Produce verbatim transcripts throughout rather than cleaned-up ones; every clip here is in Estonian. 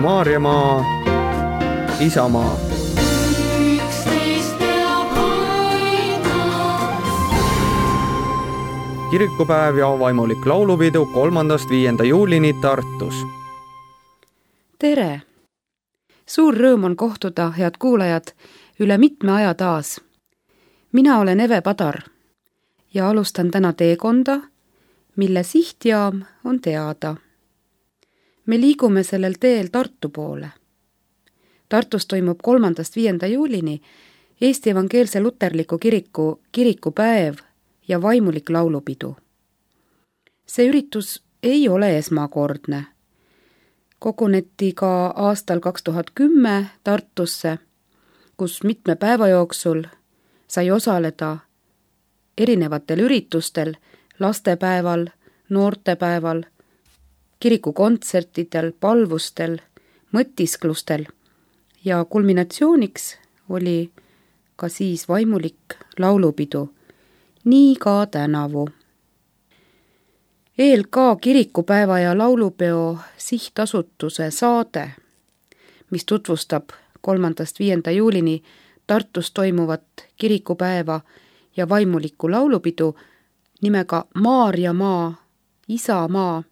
Maarjamaa, Isamaa. Kirikupäev ja vaimulik laulupidu kolmandast viienda juulini Tartus. Tere! Suur rõõm on kohtuda, head kuulajad, üle mitme aja taas. Mina olen Eve Padar ja alustan täna teekonda, mille sihtjaam on teada. Me liigume sellel teel Tartu poole. Tartus toimub kolmandast viienda juulini Eesti Evangeelse Luterliku Kiriku kirikupäev ja vaimulik laulupidu. See üritus ei ole esmakordne. Koguneti ka aastal kaks tuhat kümme Tartusse, kus mitme päeva jooksul sai osaleda erinevatel üritustel, lastepäeval, noortepäeval, kirikukontsertidel, palvustel, mõtisklustel ja kulminatsiooniks oli ka siis vaimulik laulupidu, nii ka tänavu. E L K kirikupäeva ja laulupeo sihtasutuse saade, mis tutvustab kolmandast viienda juulini Tartus toimuvat kirikupäeva ja vaimulikku laulupidu nimega Maarjamaa, Isamaa,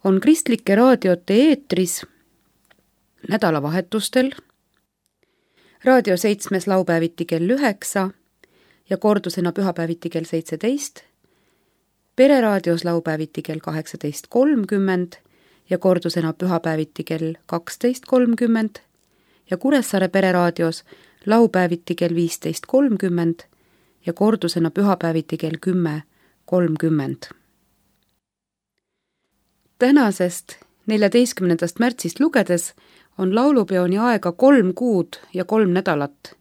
on kristlike raadiote eetris nädalavahetustel, Raadio seitsmes laupäeviti kell üheksa ja kordusena pühapäeviti kell seitseteist, Pereraadios laupäeviti kell kaheksateist kolmkümmend ja kordusena pühapäeviti kell kaksteist kolmkümmend ja Kuressaare Pereraadios laupäeviti kell viisteist kolmkümmend ja kordusena pühapäeviti kell kümme kolmkümmend. Tänasest neljateistkümnendast märtsist lugedes on laulupeoni aega kolm kuud ja kolm nädalat.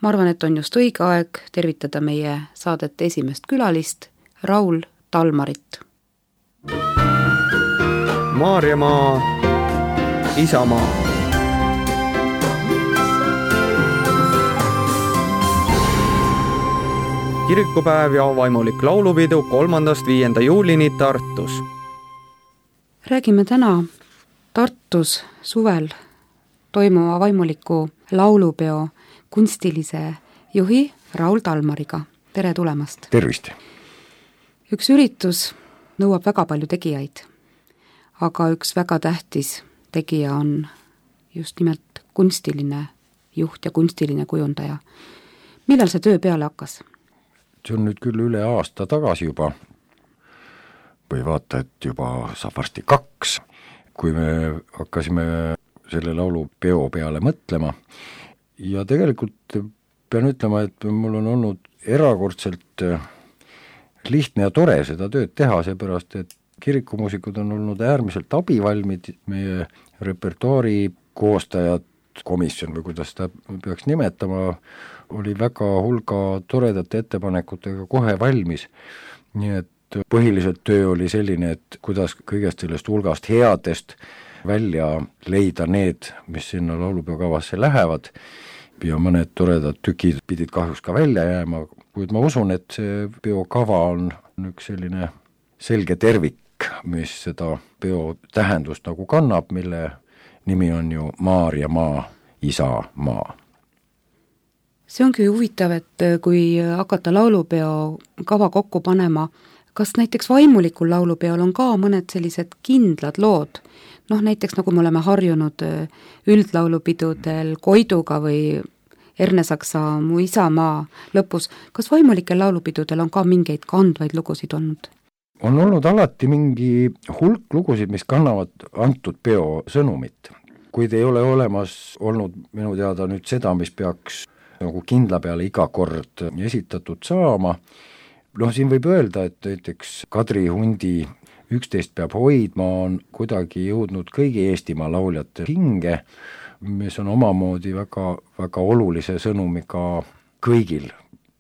Ma arvan, et on just õige aeg tervitada meie saadete esimest külalist, Raul Talmarit. Maarjamaa, Isamaa. Kirikupäev ja vaimulik laulupidu kolmandast viienda juulini Tartus. Räägime täna Tartus suvel toimuva vaimuliku laulupeo kunstilise juhi Raul Talmariga. Tere tulemast! Tervist! Üks üritus nõuab väga palju tegijaid, aga üks väga tähtis tegija on just nimelt kunstiline juht ja kunstiline kujundaja. Millal see töö peale hakkas? See on nüüd küll üle aasta tagasi juba, või vaata, et juba saab varsti kaks, kui me hakkasime selle laulupeo peale mõtlema. Ja tegelikult pean ütlema, et mul on olnud erakordselt lihtne ja tore seda tööd teha, seepärast, et kirikumuusikud on olnud äärmiselt abivalmid, meie repertuaari koostajad, komisjon või kuidas ta peaks nimetama, oli väga hulga toredate ettepanekutega kohe valmis. Nii et põhiliselt töö oli selline, et kuidas kõigest sellest hulgast headest välja leida need, mis sinna laulupeokavasse lähevad, ja mõned toredad tükid pidid kahjuks ka välja jääma, kuid ma usun, et see peokava on üks selline selge tervik, mis seda peo tähendust nagu kannab, mille nimi on ju Maarjamaa, Isamaa. See ongi huvitav, et kui hakata laulupeo kava kokku panema, kas näiteks vaimulikul laulupeol on ka mõned sellised kindlad lood, noh näiteks nagu me oleme harjunud üldlaulupidudel Koiduga või Ernesaksa Mu Isamaa lõpus, kas vaimulikel laulupidudel on ka mingeid kandvaid lugusid olnud? On olnud alati mingi hulk lugusid, mis kannavad antud peo sõnumit, kuid ei ole olemas olnud minu teada nüüd seda, mis peaks nagu kindla peale iga kord esitatud saama. Noh, siin võib öelda, et näiteks Kadri Hundi üksteist peab hoidma on kuidagi jõudnud kõigi Eestimaa lauljate hinge, mis on omamoodi väga, väga olulise sõnumiga kõigil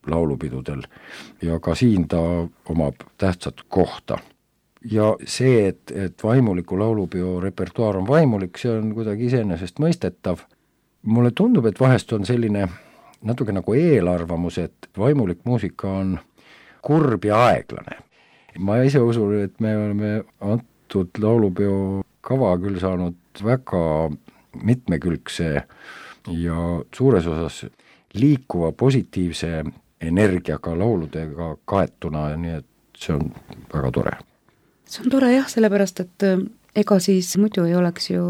laulupidudel ja ka siin ta omab tähtsat kohta. Ja see, et, et vaimuliku laulupeo repertuaar on vaimulik, see on kuidagi iseenesest mõistetav. Mulle tundub, et vahest on selline natuke nagu eelarvamus, et vaimulik muusika on kurb ja aeglane. Ma ise usun, et me oleme antud laulupeo kava küll saanud väga mitmekülgse ja suures osas liikuva positiivse energiaga lauludega kaetuna, nii et see on väga tore. See on tore jah, sellepärast, et ega siis muidu ei oleks ju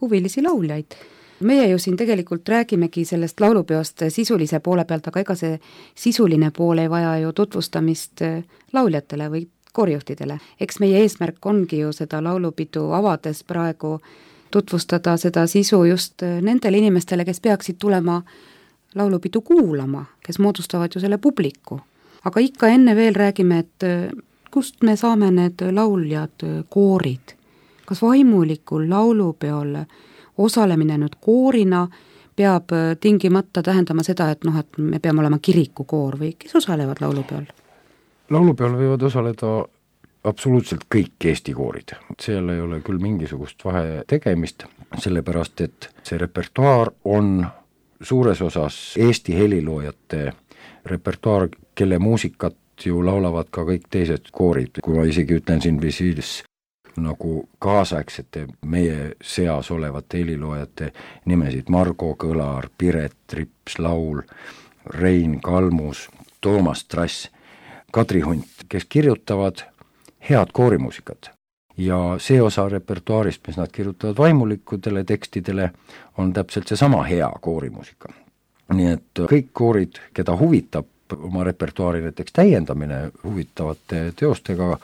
huvilisi lauljaid. Meie ju siin tegelikult räägimegi sellest laulupeost sisulise poole pealt, aga ega see sisuline pool ei vaja ju tutvustamist lauljatele või koorijuhtidele. Eks meie eesmärk ongi ju seda laulupidu avades praegu tutvustada seda sisu just nendele inimestele, kes peaksid tulema laulupidu kuulama, kes moodustavad ju selle publiku. Aga ikka enne veel räägime, et kust me saame need lauljad, koorid. Kas vaimulikul laulupeol osalemine nüüd koorina peab tingimata tähendama seda, et noh, et me peame olema kirikukoor või kes osalevad laulupeol? Laulupeol võivad osaleda absoluutselt kõik Eesti koorid. Seal ei ole küll mingisugust vahe tegemist, sellepärast et see repertuaar on suures osas Eesti heliloojate repertuaar, kelle muusikat ju laulavad ka kõik teised koorid. Kui ma isegi ütlen siin visiilis nagu kaasaegsete meie seas olevate heliloojate nimesid, Margo Kõlar, Piret Trips, Laul, Rein Kalmus, Toomas Trass, Kadri Hunt, kes kirjutavad head koorimuusikat. Ja see osa repertuaarist, mis nad kirjutavad vaimulikudele tekstidele, on täpselt see sama hea koorimuusika. Nii et kõik koorid, keda huvitab oma repertuaari näiteks täiendamine huvitavate teostega,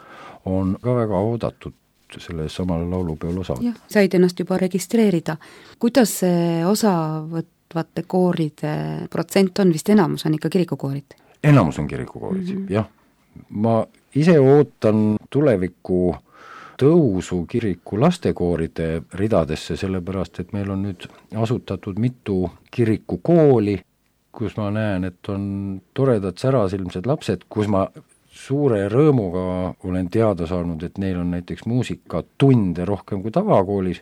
on ka väga oodatud selle samale laulupeol osa. Jah, said ennast juba registreerida. Kuidas see osavõtvate kooride protsent on? Vist enamus on ikka kirikukoorid? Enamus on kirikukoorid, mm-hmm. jah. Ma ise ootan tuleviku tõusu kiriku lastekooride ridadesse, sellepärast, et meil on nüüd asutatud mitu kirikukooli, kus ma näen, et on toredad särasilmsed lapsed, kus ma suure rõõmuga olen teada saanud, et neil on näiteks muusikatunde rohkem kui tavakoolis,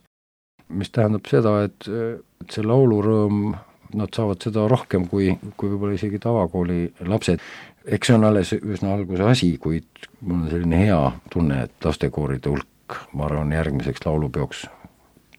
mis tähendab seda, et, et see laulurõõm, nad saavad seda rohkem kui, kui võib-olla isegi tavakooli lapsed. Eks see on alles üsna alguse asi, kuid mul on selline hea tunne, et lastekooride hulk, ma arvan, järgmiseks laulupeoks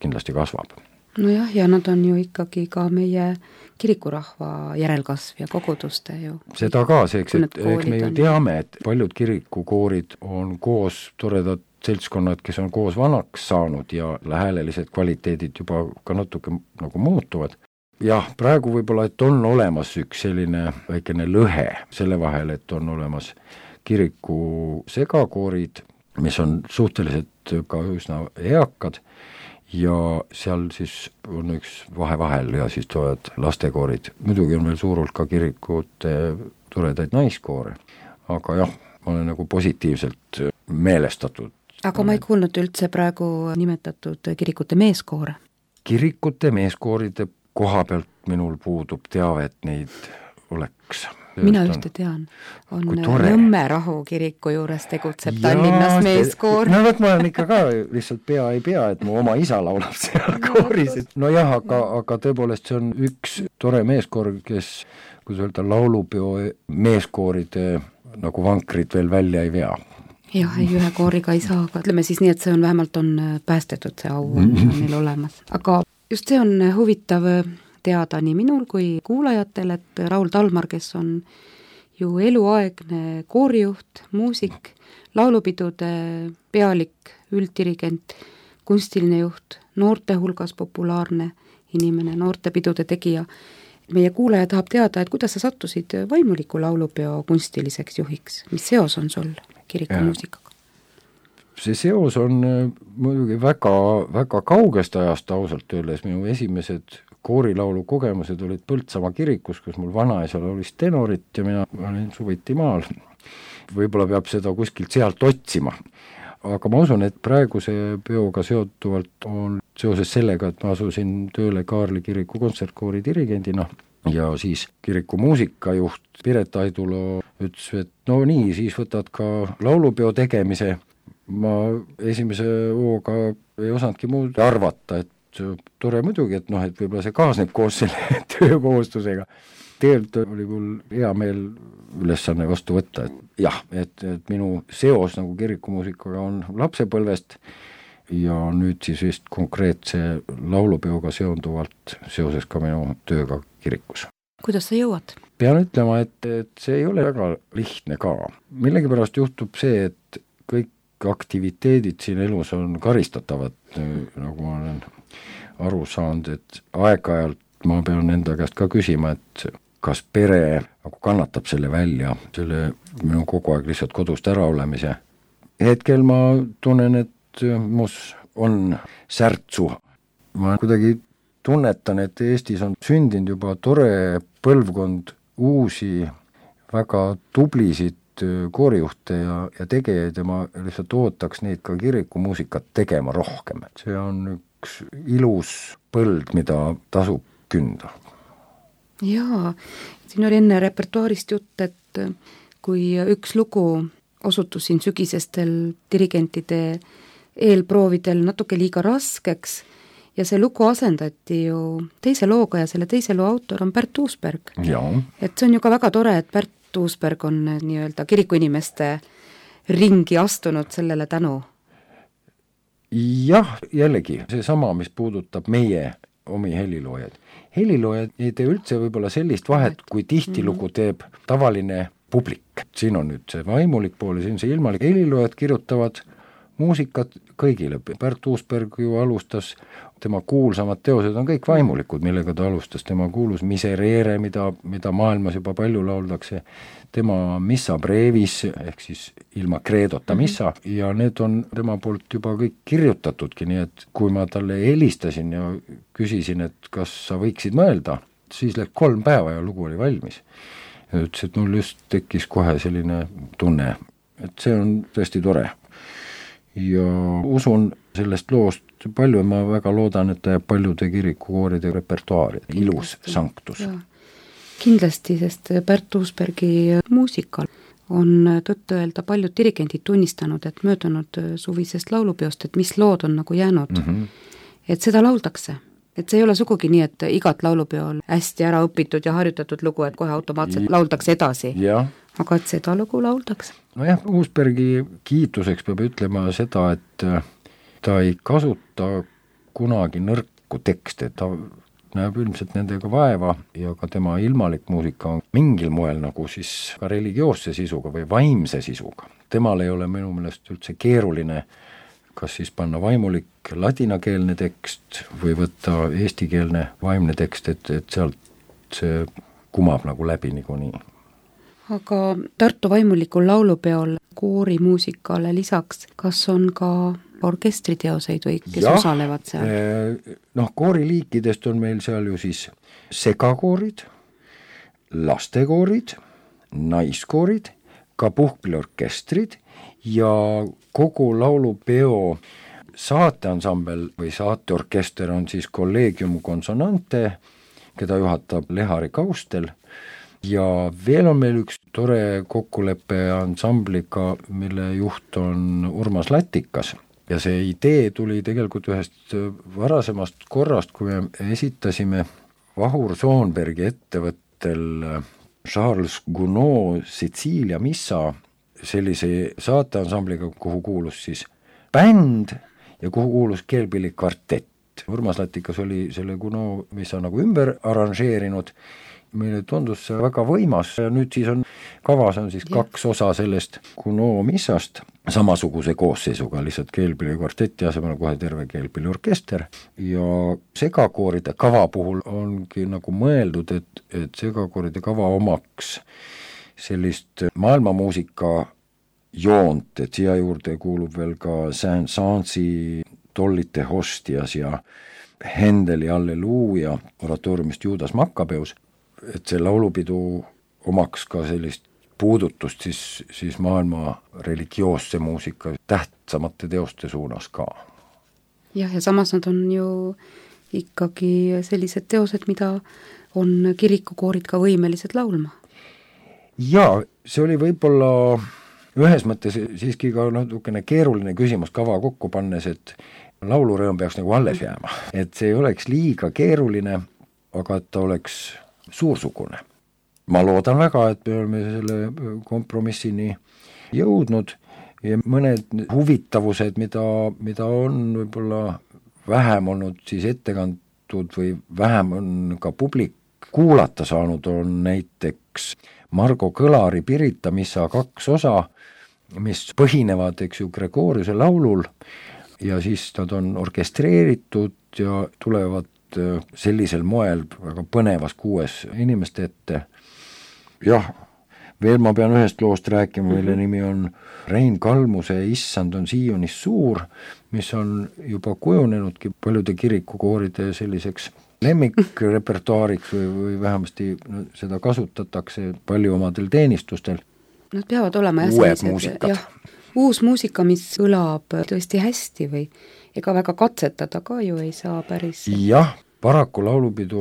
kindlasti kasvab. Nojah, ja nad on ju ikkagi ka meie kirikurahva järelkasv ja koguduste ju. Seda ka, seeks, et eks me ju teame, et paljud kirikukoorid on koos toredad seltskonnad, kes on koos vanaks saanud ja häälelised kvaliteedid juba ka natuke nagu muutuvad. Jah, praegu võib-olla, et on olemas üks selline väikene lõhe selle vahel, et on olemas kiriku segakoorid, mis on suhteliselt ka üsna eakad, ja seal siis on üks vahe vahel ja siis tulevad lastekoorid. Muidugi on veel suur hulk ka kirikute toredaid naiskoore, aga jah, ma olen nagu positiivselt meelestatud. Aga ma ei kuulnud üldse praegu nimetatud kirikute meeskoore. Kirikute meeskooride koha pealt minul puudub teave, et neid oleks. Mina ühte tean, on Nõmme Rahu kiriku juures tegutseb ja, Tallinnas meeskoor. No võt, ma olen ikka ka lihtsalt pea ei pea, et mu oma isa laulab seal kooris. No jah, aga, aga tõepoolest see on üks tore meeskoor, kes, kus öelda, laulupeo meeskooride nagu vankrid veel välja ei vea. Jah, ei ühe kooriga ei saa, aga ütleme siis nii, et see on vähemalt on päästetud, see au on meil olemas. Aga just see on huvitav teada nii minul kui kuulajatel, et Raul Talmar, kes on ju eluaegne koorijuht, muusik, laulupidude pealik, ülddirigent, kunstiline juht, noorte hulgas populaarne inimene, noortepidude tegija. Meie kuulaja tahab teada, et kuidas sa sattusid vaimuliku laulupeo kunstiliseks juhiks. Mis seos on sul kirikumuusikaga? See seos on muidugi väga, väga kaugest ajast ausalt öeldes. Minu esimesed koorilaulu kogemused olid Põltsamaa kirikus, kus mul vanaisal oli tenorit ja mina olin suviti maal. Võib-olla peab seda kuskilt sealt otsima. Aga ma usun, et praeguse peoga seotuvalt on seoses sellega, et ma asusin tööle Kaarli kiriku kontsertkoori dirigendina ja siis kiriku muusikajuht Piret Aidulo ütles, et no nii, siis võtad ka laulupeo tegemise. Ma esimese hooga ei osanudki muud arvata, et tore muidugi, et noh, et võib-olla see kaasneb koos selle töökohustusega. Tegelikult oli mul hea meel ülesanne vastu võtta, et jah, et, et minu seos nagu kirikumuusikaga on lapsepõlvest. ja nüüd siis vist konkreetse laulupeoga seonduvalt seoses ka minu tööga kirikus. Kuidas sa jõuad? Pean ütlema, et, et see ei ole väga lihtne ka. Millegipärast juhtub see, et kõik aktiviteedid siin elus on karistatavad, nagu ma olen aru saanud, et aeg-ajalt ma pean enda käest ka küsima, et kas pere nagu kannatab selle välja, selle minu kogu aeg lihtsalt kodust ära olemise. Hetkel ma tunnen, et mus on särtsu. Ma kuidagi tunnetan, et Eestis on sündinud juba tore põlvkond uusi, väga tublisid koorijuhte ja, ja tegejaid ja ma lihtsalt ootaks neid ka kirikumuusikat tegema rohkem. See on üks ilus põld, mida tasub künda. Jaa, siin oli enne repertuaarist jutt, et kui üks lugu osutus siin sügisestel dirigentide eelproovidel natuke liiga raskeks ja see lugu asendati ju teise looga ja selle teise loo autor on Pärt Uusberg. Jaa. Et see on ju ka väga tore, et Pärt Uusberg on nii-öelda kirikuinimeste ringi astunud sellele tänu. Jah, jällegi, see sama, mis puudutab meie omi heliloojaid. Heliloojad ei tee üldse võib-olla sellist vahet, kui tihtilugu teeb tavaline publik. Siin on nüüd see vaimulik pool ja siin see ilmalik. Heliloojad kirjutavad muusikat kõigile. Pärt Uusberg ju alustas, tema kuulsamad teosed on kõik vaimulikud, millega ta alustas. Tema kuulus Miserere, mida, mida maailmas juba palju lauldakse. Tema Missa Brevis, ehk siis ilma kreedota missa, ja need on tema poolt juba kõik kirjutatudki, nii et kui ma talle helistasin ja küsisin, et kas sa võiksid mõelda, siis läks kolm päeva ja lugu oli valmis. Ja ütles, et mul just tekkis kohe selline tunne, et see on tõesti tore. Ja usun sellest loost palju ja ma väga loodan, et ta jääb paljude kirikukooride repertuaari. Ilus sanktus. Ja. Kindlasti, sest Pärt Uusbergi muusikal on tõtt öelda paljud dirigendid tunnistanud, et möödunud suvisest laulupeost, et mis lood on nagu jäänud, mm -hmm. et seda lauldakse. Et see ei ole sugugi nii, et igat laulupeol hästi ära õpitud ja harjutatud lugu, et kohe automaatselt lauldakse edasi. Ja. Aga et seda lugu lauldakse. No jah, Uusbergi kiituseks peab ütlema seda, et ta ei kasuta kunagi nõrku tekste, ta näeb ilmselt nendega vaeva ja ka tema ilmalik muusika on mingil moel nagu siis ka religioosse sisuga või vaimse sisuga. Temal ei ole minu meelest üldse keeruline kas siis panna vaimulik ladinakeelne tekst või võtta eestikeelne vaimne tekst, et, et sealt see kumab nagu läbi niikuinii. Aga Tartu vaimulikul laulupeol koorimuusikale lisaks, kas on ka orkestriteoseid või kes ja, osalevad seal? Noh, kooriliikidest on meil seal ju siis segakoorid, lastekoorid, naiskoorid, ka puhkpilliorkestrid ja kogu laulupeo saateansambel või saateorkester on siis Collegium Consonante, keda juhatab Lehari Kaustel. Ja veel on meil üks tore kokkulepe ansambliga, mille juht on Urmas Latikas. Ja see idee tuli tegelikult ühest varasemast korrast, kui me esitasime Vahur Soonbergi ettevõttel Charles Gounod Sitsiilia missa sellise saateansambliga, kuhu kuulus siis bänd ja kuhu kuulus keelpillikvartett. Urmas Latikas oli selle Gounod missa nagu ümber arranžeerinud. Meile tundus see väga võimas ja nüüd siis on kavas on siis ja. kaks osa sellest Gounod missast samasuguse koosseisuga, lihtsalt keelpillikvarteti asemel kohe terve keelpilliorkester ja segakooride kava puhul ongi nagu mõeldud, et, et segakooride kava omaks sellist maailmamuusika joont, et siia juurde kuulub veel ka Saint-Saensi Tollite Hostias ja Hendeli Alleluuja oratooriumist Juudas Makkabeus, et see laulupidu omaks ka sellist puudutust siis, siis maailma religioosse muusika tähtsamate teoste suunas ka. Jah, ja samas nad on ju ikkagi sellised teosed, mida on kirikukoorid ka võimelised laulma. Jaa, see oli võib-olla ühes mõttes siiski ka natukene keeruline küsimus kava kokku pannes, et laulurõõm peaks nagu alles jääma. Et see ei oleks liiga keeruline, aga et ta oleks suursugune. Ma loodan väga, et me oleme selle kompromissini jõudnud. ja mõned huvitavused, mida, mida on võib-olla vähem olnud siis ette kantud või vähem on ka publik kuulata saanud, on näiteks Margo Kõlari Pirita missa kaks osa, mis põhinevad, eks ju, Gregoriuse laulul ja siis nad on orkestreeritud ja tulevad sellisel moel väga põnevas kuues inimeste ette. Jah, veel ma pean ühest loost rääkima, mille nimi on Rein Kalmuse Issand on Siiunis suur, mis on juba kujunenudki paljude kirikukooride selliseks lemmikrepertuaariks või, või vähemasti no, seda kasutatakse palju omadel teenistustel. Nad peavad olema uued muusikad. Jah, uus muusika, mis kõlab tõesti hästi või ega väga katsetada ka ju ei saa päris. Jah, paraku laulupidu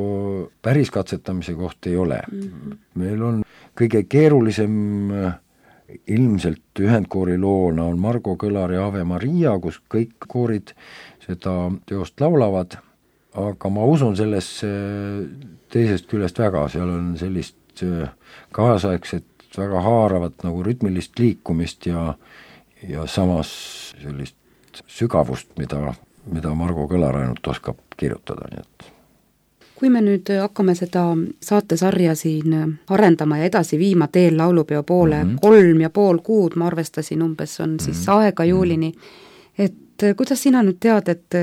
päris katsetamise koht ei ole. Mm-hmm. Meil on kõige keerulisem ilmselt ühendkoori loona on Margo Kõlari Ave Maria, kus kõik koorid seda teost laulavad, aga ma usun sellesse teisest küljest väga, seal on sellist kaasaegset väga haaravat nagu rütmilist liikumist ja, ja samas sellist sügavust, mida, mida Margo Kõlar ainult oskab kirjutada, nii et kui me nüüd hakkame seda saatesarja siin arendama ja edasi viima teel laulupeo poole, mm-hmm. kolm ja pool kuud, ma arvestasin umbes, on siis mm-hmm. aega juulini, et kuidas sina nüüd tead, et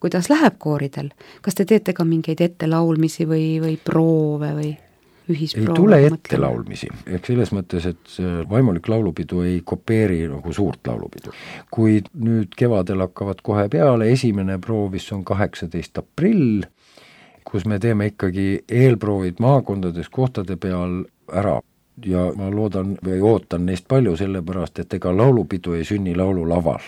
kuidas läheb kooridel? Kas te teete ka mingeid ettelaulmisi või, või proove või ühisproove? Ei tule ettelaulmisi, ehk selles mõttes, et vaimulik laulupidu ei kopeeri nagu suurt laulupidu. Kui nüüd kevadel hakkavad kohe peale, esimene proovis on kaheksateist aprill, kus me teeme ikkagi eelproovid maakondades kohtade peal ära ja ma loodan või ootan neist palju sellepärast, et ega laulupidu ei sünni laululaval.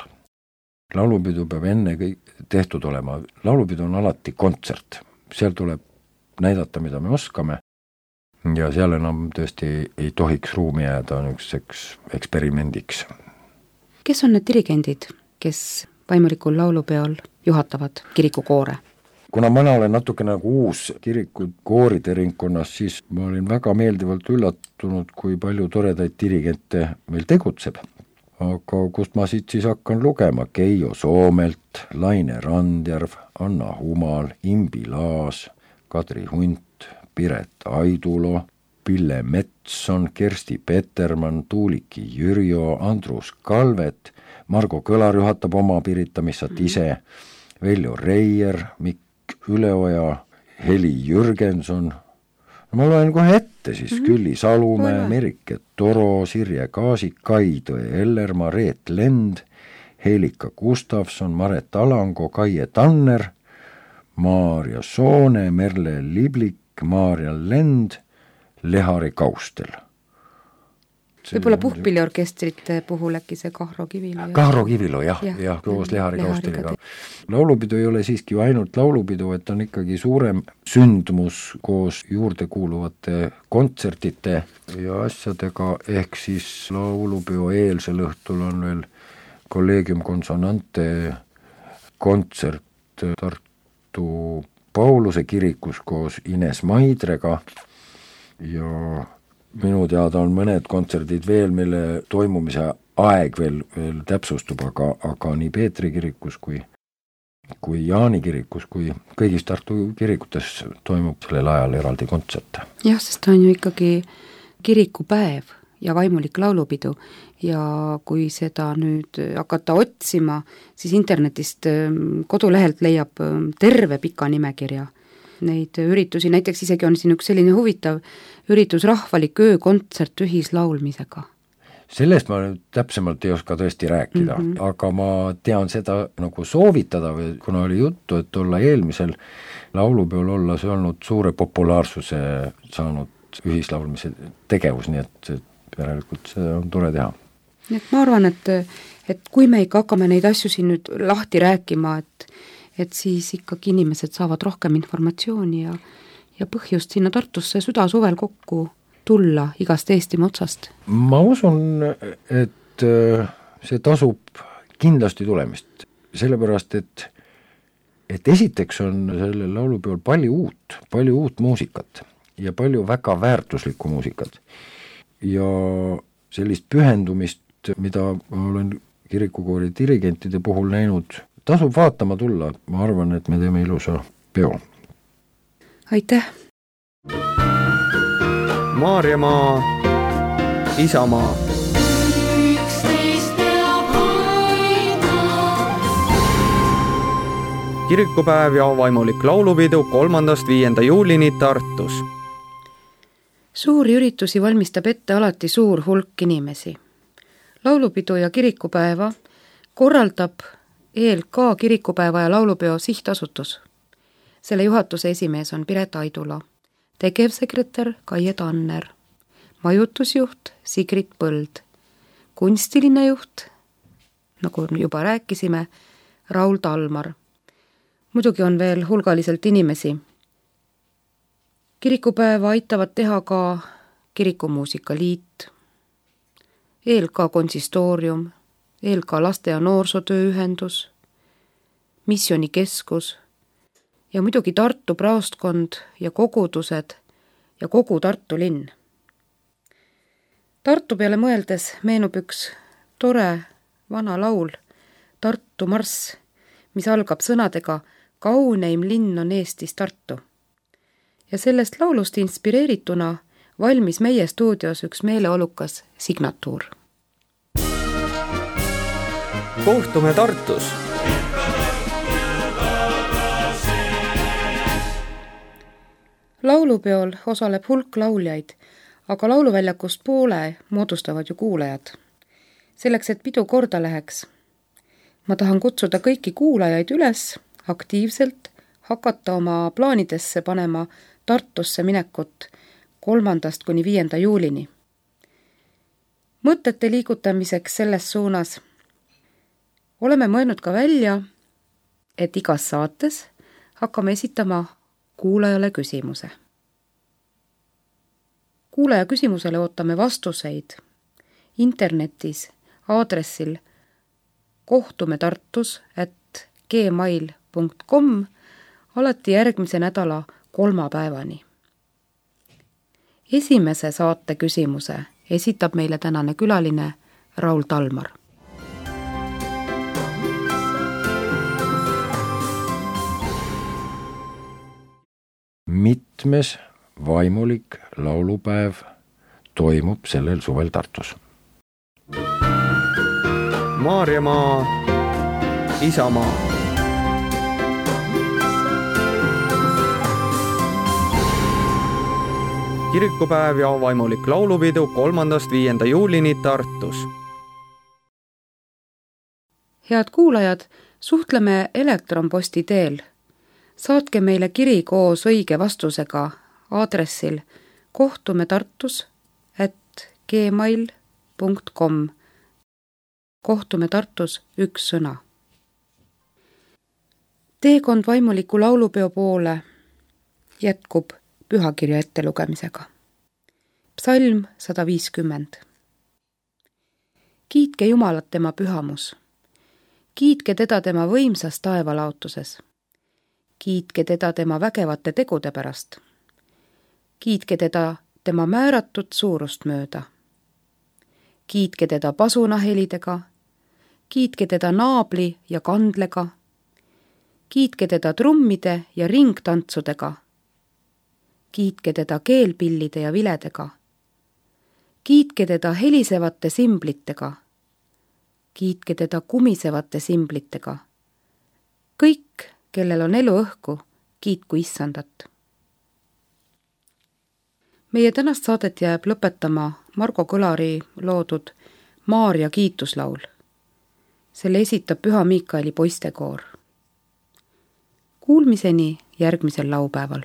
Laulupidu peab enne kõik tehtud olema. Laulupidu on alati kontsert. Seal tuleb näidata, mida me oskame ja seal enam tõesti ei tohiks ruumi jääda niisuguseks eksperimendiks. Kes on need dirigendid, kes vaimulikul laulupeol juhatavad kirikukoore? Kuna mina olen natuke nagu uus kiriku kooride ringkonnas, siis ma olin väga meeldivalt üllatunud, kui palju toredaid dirigente meil tegutseb. Aga kust ma siit siis hakkan lugema? Keijo Soomelt, Laine Randjärv, Anna Humal, Imbi Laas, Kadri Hunt, Piret Aidulo, Pille Metson, Kersti Petermann, Tuuliki Jürjo, Andrus Kalvet, Margo Kõlar juhatab oma Piritamissat ise, Veljo Reier, Mikk Üleoja, Heli Jürgenson, no ma loen kohe ette siis mm-hmm. Külli Salumäe, Merike Toro, Sirje Kaasik, Kaitõe Ellermaa, Reet Lend, Helika Gustavson, Maret Alango, Kaie Tanner, Maarja Soone, Merle Liblik, Maarja Lend, Lehari Kaustel. Võib-olla puhkpilliorkestrite puhul äkki see Kahro Kivilo. Kahro Kivilo, jah, jah, jah, koos Lehari Kausteliga. Laulupidu ei ole siiski ainult laulupidu, et on ikkagi suurem sündmus koos juurde kuuluvate kontsertite ja asjadega, ehk siis laulupeo eelsel õhtul on veel Collegium Consonante kontsert Tartu Pauluse kirikus koos Ines Maidrega ja minu teada on mõned kontserdid veel, mille toimumise aeg veel, veel täpsustub, aga, aga nii Peetri kirikus kui, kui Jaani kirikus kui kõigis Tartu kirikutes toimub sellel ajal eraldi kontserte. Jah, sest on ju ikkagi kirikupäev ja vaimulik laulupidu ja kui seda nüüd hakata otsima, siis internetist kodulehelt leiab terve pika nimekirja neid üritusi, näiteks isegi on siin üks selline huvitav üritus rahvalik öökontsert ühislaulmisega. Sellest ma nüüd täpsemalt ei oska tõesti rääkida, mm-hmm. aga ma tean seda nagu soovitada, või kuna oli juttu, et olla eelmisel laulupeol olla see olnud suure populaarsuse saanud ühislaulmise tegevus, nii et järelikult see on tore teha. Nii et ma arvan, et, et kui me ikka hakkame neid asju siin nüüd lahti rääkima, et et siis ikkagi inimesed saavad rohkem informatsiooni ja, ja põhjust sinna Tartusse südasuvel kokku tulla igast Eestimaa otsast. Ma usun, et see tasub kindlasti tulemist, sellepärast, et, et esiteks on sellel laulupeol palju uut, palju uut muusikat ja palju väga väärtuslikku muusikat ja sellist pühendumist mida ma olen kirikukoori dirigentide puhul näinud, tasub vaatama tulla, ma arvan, et me teeme ilusa peo. Aitäh! Maarjamaa, Isamaa. Kirikupäev ja vaimulik laulupidu kolmandast viienda juulini Tartus. Suuri üritusi valmistab ette alati suur hulk inimesi. Laulupidu ja kirikupäeva korraldab E L K kirikupäeva ja laulupeo sihtasutus. Selle juhatuse esimees on Piret Aidula, tegevsekretär Kaie Tanner, majutusjuht Sigrid Põld, kunstiline juht, nagu juba rääkisime, Raul Talmar. Muidugi on veel hulgaliselt inimesi. Kirikupäeva aitavad teha ka Kirikumuusikaliit, E L K konsistoorium, E L K laste- ja noorsootööühendus, missionikeskus ja muidugi Tartu praostkond ja kogudused ja kogu Tartu linn. Tartu peale mõeldes meenub üks tore vana laul Tartu marss, mis algab sõnadega Kauneim linn on Eestis Tartu. Ja sellest laulust inspireerituna valmis meie stuudios üks meeleolukas signatuur. Kohtume Tartus! Laulupeol osaleb hulk lauljaid, aga lauluväljakust poole moodustavad ju kuulajad. Selleks, et pidu korda läheks, ma tahan kutsuda kõiki kuulajaid üles aktiivselt hakata oma plaanidesse panema Tartusse minekut kolmandast kuni viienda juulini. Mõtete liigutamiseks selles suunas oleme mõelnud ka välja, et igas saates hakkame esitama kuulajale küsimuse. Kuulaja küsimusele ootame vastuseid internetis aadressil kohtume tartus at gmail punkt com alati järgmise nädala kolmapäevani. Esimese saate küsimuse esitab meile tänane külaline Raul Talmar. Mitmes vaimulik laulupäev toimub sellel suvel Tartus? Maarjamaa, Isamaa. Kirikupäev ja vaimulik laulupidu kolmandast viienda juulini Tartus. Head kuulajad, suhtleme elektronposti teel. Saatke meile kiri koos õige vastusega aadressil kohtume tartus at gmail punkt com. Kohtume Tartus üks sõna. Teekond vaimuliku laulupeo poole jätkub pühakirja ettelugemisega. Psalm sada viiskümmend. Kiitke Jumalat tema pühamus. Kiitke teda tema võimsas taevalaotuses. Kiitke teda tema vägevate tegude pärast. Kiitke teda tema määratud suurust mööda. Kiitke teda pasunahelidega. Kiitke teda naabli ja kandlega. Kiitke teda trummide ja ringtantsudega. Kiitke teda keelpillide ja viledega. Kiitke teda helisevate simblitega. Kiitke teda kumisevate simblitega. Kõik, kellel on elu õhku, kiitku Issandat. Meie tänast saadet jääb lõpetama Margo Kõlari loodud Maarja kiituslaul. Selle esitab Püha Miikaeli poistekoor. Kuulmiseni järgmisel laupäeval.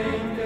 meid